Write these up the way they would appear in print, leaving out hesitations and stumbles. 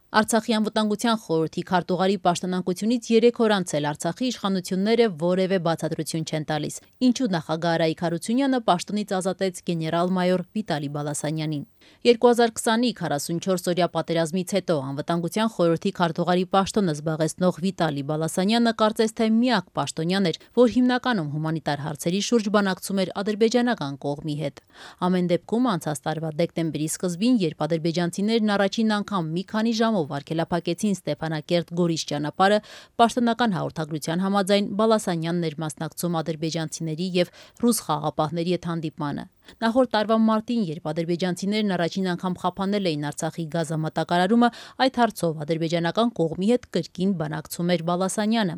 Արցախի անվտանգության խորհրդի քարտուղարի պաշտոնանկությունից 3 օր անց էլ Արցախի իշխանությունները որևէ բացատրություն չեն տալիս, ինչու նախագահ Արայիկ Հարությունյանը պաշտոնից ազատեց գեներալ-մայոր Վիտալի Բալասանյանին։ 2020-ի 44-օրյա պատերազմից հետո անվտանգության խորհրդի քարտուղարի պաշտոնը զբաղեցնող Վիտալի Բալասանյանը կարծես թե միակ պաշտոնյան էր, որ հիմնականում հումանիտար հարցերի շուրջ բանակցում էր ադրբեջանական կողմի հետ։ Ամեն դեպքում անցած տարվա դեկտեմբերի սկզբին, երբ ադրբեջանցիներն առաջին անգամ մի քանի ժամով արգելափակեցին Ստեփանակերտ-Գորիս ճանապարհը, պաշտոնական հաղորդագրության համաձայն Բալասանյանն էր մասնակցում ադրբեջանցիների եւ ռուս խաղաղապահների հետ հանդիպմանը։ Նախորդ տարվա մարտին, երբ ադրբեջանցիներն առաջին անգամ խափանել էին Արցախի գազամատակարարումը, այդ հարցով ադրբեջանական կողմի հետ կրկին բանակցում էր Բալասանյանը։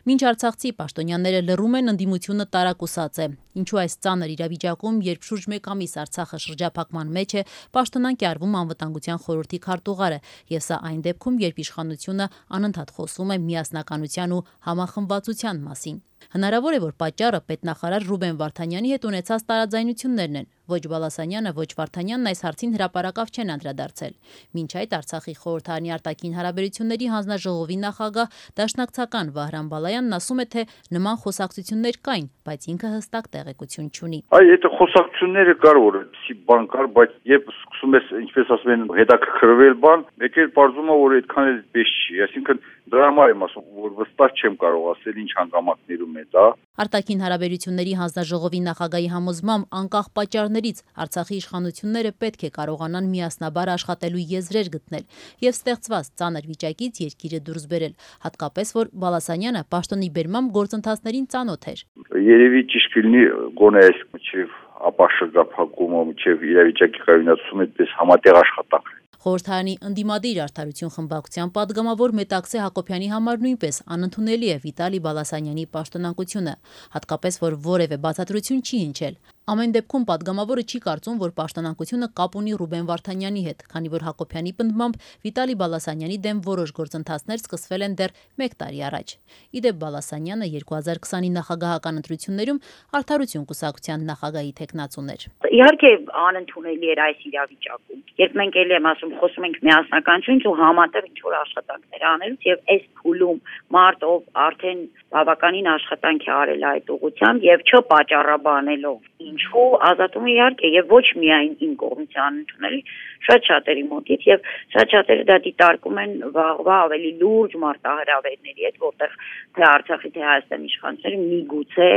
Մինչ արցախցի պաշտոնյաները լռում են, ընդդիմությունը տարակուսած է։ Ինչու այս ծանր իրավիճակում, երբ շուրջ մեկ ամիս Արցախը շրջափակման մեջ է, պաշտոնանկ է արվում անվտանգության խորհրդի քարտուղարը, եւ սա այն դեպքում, երբ իշխանությունը անընդհատ խոսում է միասնականության ու համախմբվածության մասին։ Հնարավոր է, որ պատճառը պետնախարար Ռուբեն Վարդանյանի հետ ունեցած տարաձայնություններն են։ Ոչ Բալասանյանը, ոչ Վարդանյանն այս հարցին հրապարակավ չեն անդրադարձել։ Մինչ այդ Արցախի խորհրդարանի արտաքին հարաբերությունների հանձնաժողովի նախագահ դաշնակցական Վահրամ Բալայանն ասում է, թե նման խոսակցություններ կային, բայց ինքը հստակ տեղեկություն չունի։ Այդ խոսակցությունները կար, որ էսի բան կար, բայց երբ սկսում ես, ինչպես ասում են, հետաքրքրվել բան, մեկ էլ պարզվում է, որ այդքան էլ պես չի։ Այսինքն դրա համար եմ ասում, որ վստահ չեմ կարող ասել ինչ հանգամանքներում է դա։ Արտաքին հարաբերությունների հանձնաժողովի նախագահի համոզմամբ անկախ պատճառներից Արցախի իշխանությունները պետք է կարողանան միասնաբար աշխատելու եզրեր գտնել եւ ստեղծված ծանր վիճակից երկիրը դուրս բերել, հատկապես որ Բալասանյանը պաշտոնի բերմամբ գործընթացներին ծանոթ էր։ Երևի ճիշտ կլինի գոնե այս մինչև ապաշրջափակումը, մինչև իրավիճակի կայունացումը այդպես համատեղ աշխատանք։ Խորհրդարանի ընդդիմադիր արդարություն խմբակցության պատգամավոր Մետաքսե Հակոբյանի համար նույնպես անընդունելի է Վիտալի Բալասանյանի պաշտոնանկությունը, հատկապես որ որևէ բացատրություն չի հնչել։ Ամեն դեպքում պատգամավորը չի կարծում, որ պաշտոնանկությունը կապ ունի Ռուբեն Վարդանյանի հետ, քանի որ Հակոբյանի պնդմամբ Վիտալի Բալասանյանի դեմ որոշ գործընթացներ սկսվել են դեռ 1 տարի առաջ։ Իդեպ Բալասանյանը 2020-ի նախագահական ընտրություններում Արդարություն կուսակցության նախագահի թեկնածուն էր։ Իհարկե անընդունելի էր այս իրավիճակում։ Երբ մենք ելի եմ ասում, խոսում ենք միասնականությունից ու համատեղ ինչ-որ աշխատանքներ անելուց եւ այս փուլում մարտով արդեն բավականին աշխատանք է արել այդ ուղղությամբ եւ չպատճառաբանելով ինչու ազատումը իհարկե եւ ոչ միայն իմ կողմից անընդունելի շատ շատերի մոտից եւ շատ շատերը դա դիտարկում են վաղվա ավելի լուրջ մարտահրավերների հետ, որտեղ թե Արցախի թե Հայաստանի իշխանությունները միգուցե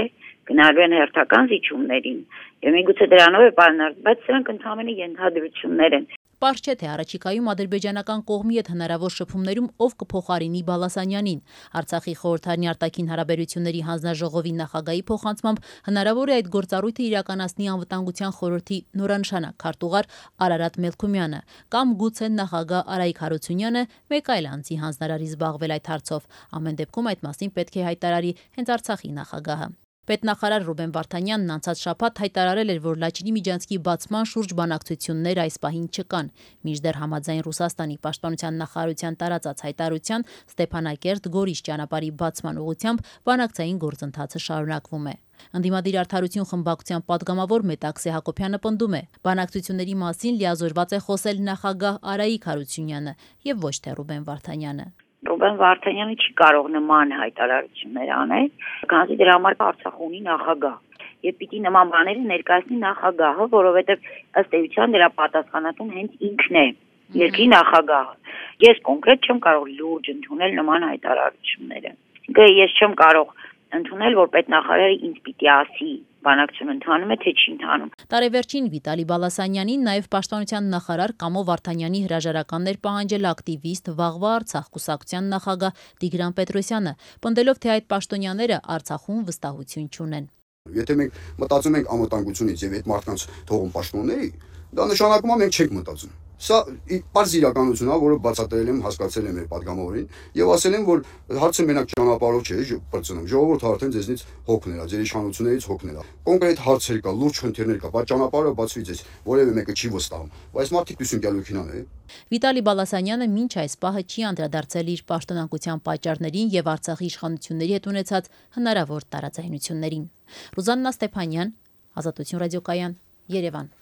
գնալու են հերթական զիջումներին եւ միգուցե դրանով է պայմանավորված, բայց սրանք ընդհանրապես ենթադրություններ են։ Պարզ չէ, թե առաջիկայում ադրբեջանական կողմի հետ հնարավոր շփումներում ով կփոխարինի Բալասանյանին։ Արցախի խորհրդարանի արտաքին հարաբերությունների հանձնաժողովի նախագահի փոխանցմամբ հնարավոր է այդ գործառույթը իրականացնի անվտանգության խորհրդի նորանշանակ քարտուղար Արարատ Մելքումյանը կամ գուցե նախագահ Արայիկ Հարությունյանը մեկ այլ անձի հանձնարարի զբաղվել այդ հարցով։ Ամեն դեպքում այդ մասին պետք է հայտարարի հենց Արցախի նախագահը։ Պետնախարար Ռուբեն Վարդանյանն անցած շաբաթ հայտարարել էր, որ Լաչինի միջանցքի բացման շուրջ բանակցություններ այս պահին չկան, մինչդեռ համաձայն Ռուսաստանի պաշտպանության նախարարության տարածած հայտարարության Ստեփանակերտ-Գորիս ճանապարհի բացման ուղղությամբ բանակցային գործընթացը շարունակվում է։ Ընդդիմադիր արդարություն խմբակցության պատգամավոր Մետաքսե Հակոբյանը պնդում է, բանակցությունների մասին լիազորված է խոսել նախագահ Արայիկ Հարությունյանը եւ ոչ թե Ռուբեն Վարդանյանը։ Ռուբեն Վարդանյանը չի կարող նման հայտարարություններ անել, քանզի դրա համար Արցախ ունի նախագահ։ Եվ պիտի նման բաները ներկայացնի նախագահը, որովհետև ըստ էության դրա պատասխանատուն հենց ինքն է, երկրի նախագահը։ Ես կոնկրետ չեմ կարող լուրջ ընդունել նման հայտարարությունները։ Ես չեմ կարող ընդունել, որ պետնախարարը ինձ պիտի ասի բանակցություն ընթանում է, թե չի ընթանում։ Տարեվերջին Վիտալի Բալասանյանին նաև պաշտպանության նախարար Կամո Վարդանյանի հրաժարականներ պահանջել ակտիվիստ Վաղվա Արցախ կուսակցության նախագահ Տիգրան Պետրոսյանը, պնդելով, թե այդ պաշտոնյաները Արցախում վստահություն չունեն։ Եթե մենք մտածում ենք անվտանգությունից եւ այդ մարդկանց թողում պաշտոնների, դա նշանակում է մենք չենք մտածում։ Սա պարզ իրականություն է, որը բացատրել եմ, հասկացել եմ մեր պատգամավորին եւ ասել եմ, որ հարցը մենակ ճանապարհով չէ, բրծնում։ Ժողովուրդը արդեն ձեզնից հոգներ է, ձեր իշխանություններից հոգներ է։ Կոնկրետ հարցեր կա, լուրջ խնդիրներ կա, բայց ճանապարհը բացվի ձեզ, որևէ մեկը չի վստահում։ Բայց մարդիկ դուսին գալուքին է։ Վիտալի Բալասանյանը մինչ այս պահը չի անդրադարձել իր պաշտոնանկության պատճառներին եւ Արցախի իշխանությունների հետ ունեցած հնարավոր տարաձայնություններին։ Ռուզաննա Ստեփանյան, Ազատություն ռադիոկայան, Երևան։